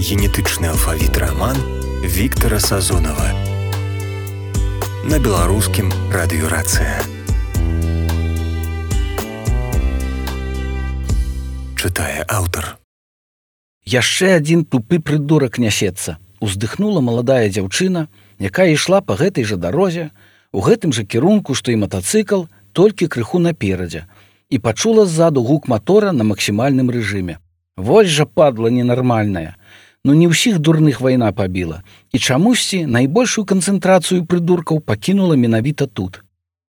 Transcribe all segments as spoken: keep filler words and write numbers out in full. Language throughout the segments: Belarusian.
Генетычны алфавіт раман Віктара Сазонава на беларускім радыёрацыя. Чытае аўтар. Яшчэ адзін тупы прыдурак нясецца. Уздыхнула маладая дзяўчына, якая ішла па гэтай жа дарозе, у гэтым жа кірунку, што і матацыкл, толькі крыху наперадзе, і пачула ззаду гук матора на максімальным рэжыме. Вось жа падла ненармальная. Ну не ўсіх дурных вайна пабіла, і чамусьці найбольшую канцэнтрацыю прыдуркаў пакінула менавіта тут.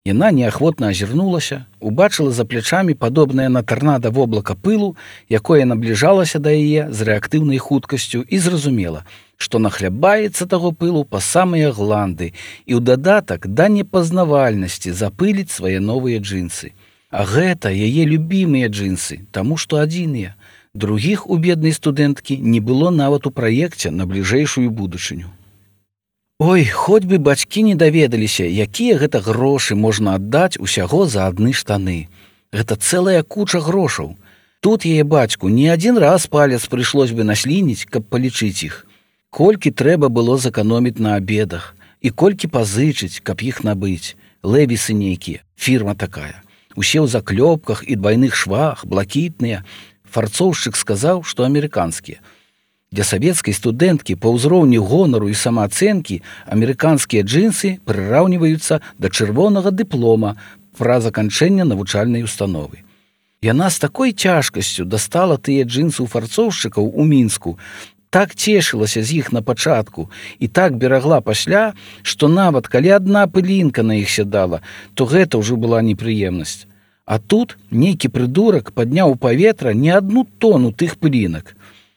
Яна неахвотна азірнулася, убачыла за плячамі падобнае на тарнада воблака пылу, якое набліжалася да яе з рэактыўнай хуткасцю, і зразумела, што нахлябаецца таго пылу па самыя гланды і ў дадатак да непазнавальнасці запыліць свае новыя джинсы. А гэта яе любімыя джинсы, таму што адзіныя. Другіх у беднай студэнткі не было нават у праекце на бліжэйшую будучыню. Ой, хоць бы бацькі не даведаліся, якія гэта грошы можна аддаць усяго за адны штаны. Гэта цэлая куча грошаў. Тут яе бацьку не адзін раз палец прыйшлось бы наслініць, каб палічыць іх. Колькі трэба было зэканоміць на абедах, і колькі пазычыць, каб іх набыць. Левісы нейкія, фірма такая. Усе ў заклёпках і двайных швах, блакітныя. Фарцоўшчык сказаў, што амерыканскія. Для савецкай студэнткі па ўзроўню гонару і самаацэнкі амерыканскія джинсы прыраўніваюцца да чырвонага дыплома пра заканчэння навучальнай установы. Яна з такой цяжкасцю дастала тыя джинсы ў фарцоўшчыкаў у Мінску, так цешылася з іх на пачатку і так берагла пасля, што нават калі адна пылінка на іх сядала, то гэта ўжо была непрыемнасць. А тут нейкі прыдурак падняў у паветра не адну тону тых пылінак.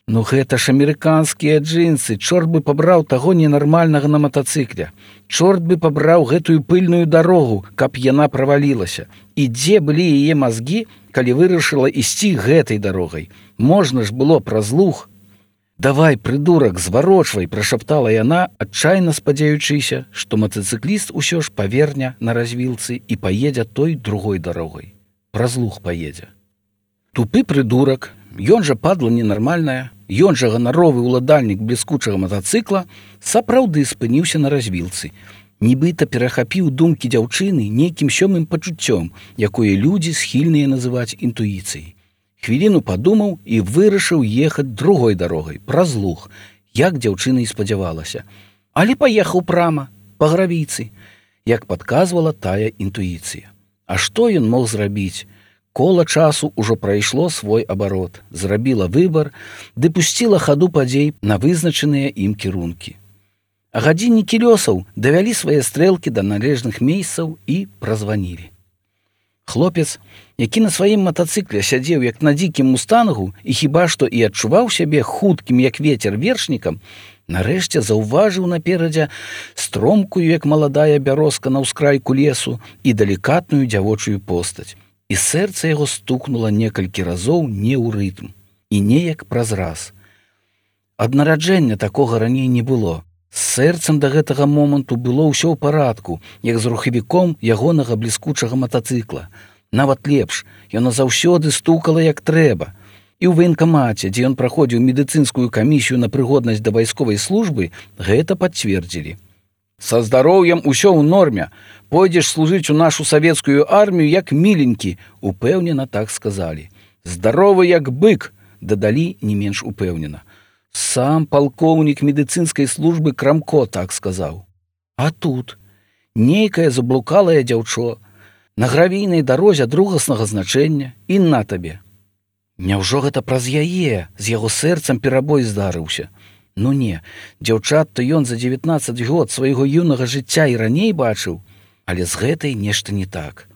Ну гэта ж амерыканскія джинсы, чорт бы пабраў таго ненармальнага на матацыкле. Чорт бы пабраў гэтую пыльную дарогу, каб яна правалілася. І дзе былі яе мазгі, калі вырашыла ісці гэтай дарогай? Можна ж было праз луг. «Давай, прыдурак, зварочвай», – прашаптала яна, адчайна спадзяючыся, што матацыкліст усё ж паверне на развілцы і паедзе той другой дарогай. Праз луг паедзе. Тупы прыдурак, ён жа падла ненармальная, ён жа ганаровы ўладальнік бліскучага матацыкла, сапраўды спыніўся на развілцы. Нібыта перахапіў думкі дзяўчыны нейкім сёмым пачуццём, якое людзі схільныя называць інтуіцыяй. Хвіліну падумаў і вырашыў ехаць другой дарогай, праз луг, як дзяўчына і спадзявалася. Але паехаў прама, па гравійцы, як падказвала тая інтуіцыя. А што ён мог зрабіць? Кола часу ўжо прайшло свой абарот, зрабіла выбар, ды пусціла хаду падзей на вызначаныя ім кірункі. А гадзіннікі лёсаў давялі свае стрэлкі да належных месцаў і празванілі. Хлопец, які на сваім матацыкле сядзеў як на дзікім мустангу і хіба што і адчуваў сябе хуткім як ветер вершнікам, нарэшце заўважыў наперадзе стромкую, як маладая бярозка на ўскрайку лесу, і далікатную дзявочую постаць. І сэрца яго стукнула некалькі разоў не ў рытм, і неяк праз раз. Ад нараджэння такога раней не было. З сэрцам да гэтага моманту было ўсё ў парадку, як з рухавіком ягонага бліскучага матацыкла. Нават лепш, яна заўсёды стукала як трэба. І ў ваенкамаце, дзе ён праходзіў медыцынскую камісію на прыгоднасць да вайсковай службы, гэта пацвердзілі. «Са здароўем усё ў норме. Пойдзеш служыць у нашу савецкую армію як міленькі», – упэўнена так сказалі. «Здаровы як бык», – дадалі не менш упэўнена. Сам палкоўнік медыцынскай службы Крамко так сказаў. А тут нейкае заблукалае дзяўчо на гравійнай дарозе другаснага значэння і на табе. Няўжо гэта праз яе, з яго сэрцам перабой здарыўся? Ну не, дзяўчат-то ён за дзевятнаццаць год свайго юнага жыцця і раней бачыў, але з гэтай нешта не так.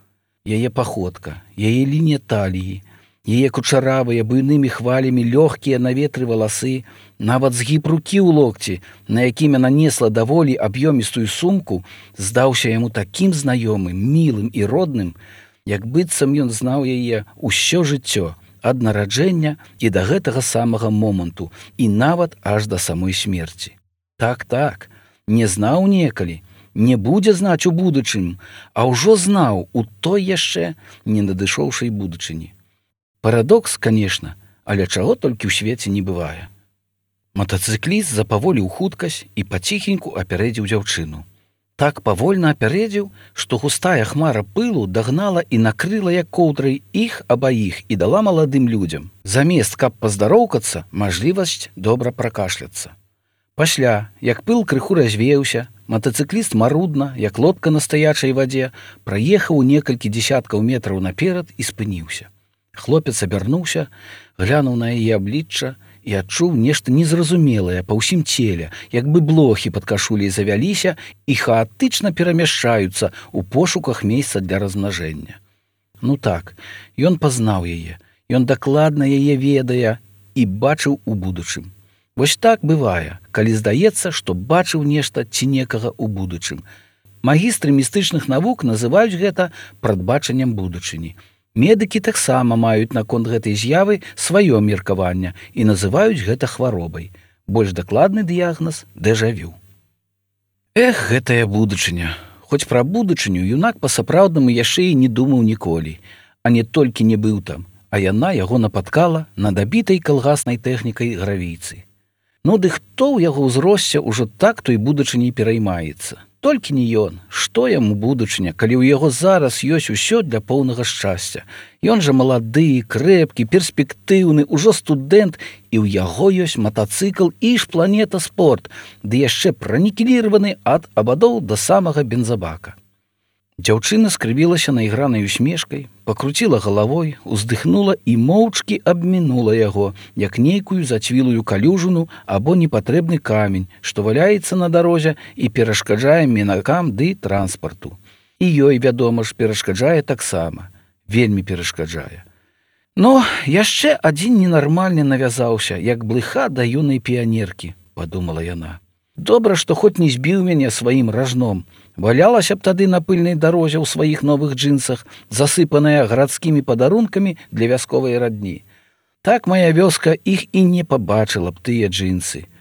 Яе паходка, яе лінія таліі, яе кучаравыя буйнымі хвалямі лёгкія на ветры валасы, нават згіб рукі ў локці, на якім яна несла даволі аб'ёмістую сумку, здаўся яму такім знаёмым, мілым і родным, як быццам ён знаў яе ўсё жыццё, ад нараджэння і да гэтага самага моманту, і нават аж да самой смерці. Так-так, не знаў некалі, не будзе знаць у будучыню, а ўжо знаў у той яшчэ не надышоўшай будучыні. Парадокс, канешне, але чаго толькі ў свеце не бывае. Матацыкліст запаволіў хуткасць і паціхеньку апярэдзіў дзяўчыну. Так павольна апярэдзіў, што густая хмара пылу дагнала і накрыла як коўдрай іх абаіх і дала маладым людзям, замест каб паздароўкацца, мажлівасць добра пракашляцца. Пасля, як пыл крыху развеяўся, матацыкліст марудна, як лодка на стаячай вадзе, праехаў некалькі дзесяткаў метраў наперад і спыніўся. Хлопец абярнуўся, глянуў на яе аблічча і адчуў нешта незразумелае па ўсім целе, як бы блохі пад кашуляй завяліся і хаатычна перамяшчаюцца ў пошуках месца для размнажэння. Ну так, ён пазнаў яе, ён дакладна яе ведае і бачыў у будучым. Вось так бывае, калі здаецца, што бачыў нешта ці некага ў будучым. Магістры містычных навук называюць гэта прадбачаннем будучыні. Медыкі таксама маюць наконт гэтай з'явы сваё меркаванне і называюць гэта хваробай. Больш дакладны дыягназ – дэжавю. Эх, гэтая будучыня. Хоць пра будучыню юнак па-сапраўднаму яшчэ і не думаў ніколі, а не толькі не быў там, а яна яго напаткала над абітай калгаснай тэхнікай гравійцы. Ну ды хто ў яго ўзросце ўжо так той будучыняй пераймаецца? Толькі не ён. Што яму будучыня, калі ў яго зараз ёсць усё для поўнага шчасця? Ён жа малады, крэпкі, перспектыўны, ужо студэнт, і ў яго ёсць матацыкл і ж планета спорт, ды яшчэ пранікіліраваны ад абадоў да самага бензабака. Дзяўчына скрывілася наігранай усмешкай, пакруціла галавой, уздыхнула і моўчкі абмінула яго, як нейкую зацвілую калюжыну або непатрэбны камень, што валяецца на дарозе і перашкаджае мінакам ды транспарту. І ёй, вядома ж, перашкаджае таксама. Вельмі перашкаджае. Но яшчэ адзін ненармальны навязаўся, як блыха да юнай піянеркі, падумала яна. Добра, што хоць не збіў мяне сваім ражном. Валялася б тады на пыльнай дарозе ў сваіх новых джинсах, засыпаная гарадскімі падарункамі для вясковай радні. Так мая вёска іх і не пабачыла б тыя джинсы.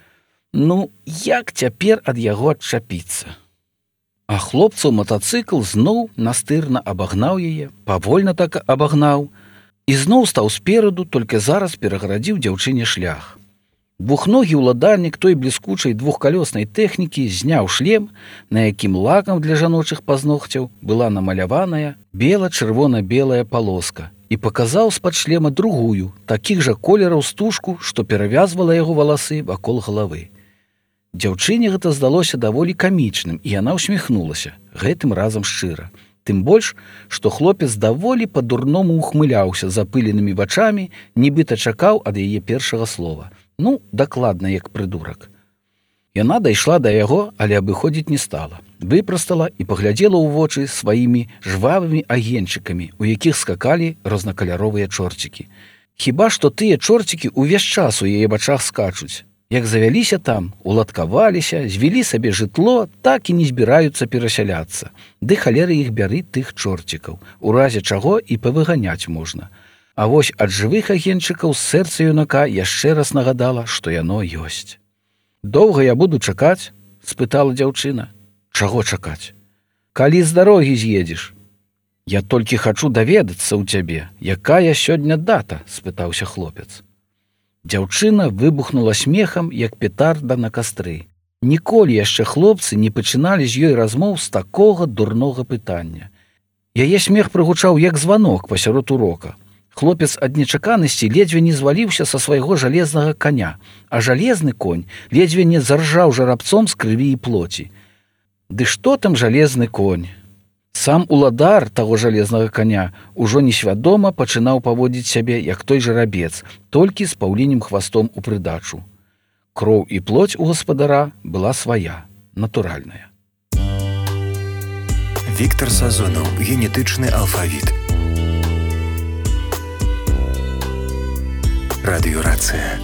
Ну, як цяпер ад яго адчапіцца? А хлопцаў матацыкл зноў настырна абагнаў яе, павольна так абагнаў, і зноў стаў спераду, толькі зараз перагарадзіў дзяўчыне шлях. Двухногі ўладальнік той бліскучай двухкалёснай тэхнікі зняў шлем, на якім лакам для жаночых пазногцяў была намаляваная бела-чырвона-белая палоска, і паказаў з-пад шлема другую, такіх жа колераў стужку, што перавязвала яго валасы вакол галавы. Дзяўчыне гэта здалося даволі камічным, і яна ўсміхнулася, гэтым разам шчыра. Тым больш, што хлопец даволі па-дурному ухмыляўся запыленымі вачамі, нібыта чакаў ад яе першага слова. Ну, дакладна, як прыдурак. Яна дайшла да яго, але абыходзіць не стала. Выпрастала і паглядзела ў вочы сваімі жвавымі агеньчыкамі, у якіх скакалі рознакаляровыя чорцікі. Хіба што тыя чорцікі ўвесь час у яе вачах скачуць. Як завяліся там, уладкаваліся, звялі сабе жытло, так і не збіраюцца перасяляцца. Ды халеры іх бяры тых чорцікаў, у разе чаго і павыганяць можна. А вось ад жывых агеньчыкаў сэрца юнака яшчэ раз нагадала, што яно ёсць. «Доўга я буду чакаць?» – спытала дзяўчына. «Чаго чакаць? Калі з дарогі з'едзеш?» «Я толькі хачу даведацца ў цябе, якая сёння дата?» – спытаўся хлопец. Дзяўчына выбухнула смехам, як петарда на кастры. Ніколі яшчэ хлопцы не пачыналі з ёй размоў з такога дурнога пытання. Яе смех прыгучаў як званок пасярод урока. Хлопец ад нечаканасці ледзьве не зваліўся са свайго жалезнага коня, а жалезны конь ледзьве не заржаў жарабцом з крыві і плоці. Ды што там жалезны конь? Сам уладар таго жалезнага коня ужо несвядома пачынаў паводзіць сябе, як той жарабец, толькі з паўлінім хвастом у прыдачу. Кроў і плоць у гаспадара была свая, натуральная. Віктор Сазонаў. Генетычны алфавіт. Радыёрацыя.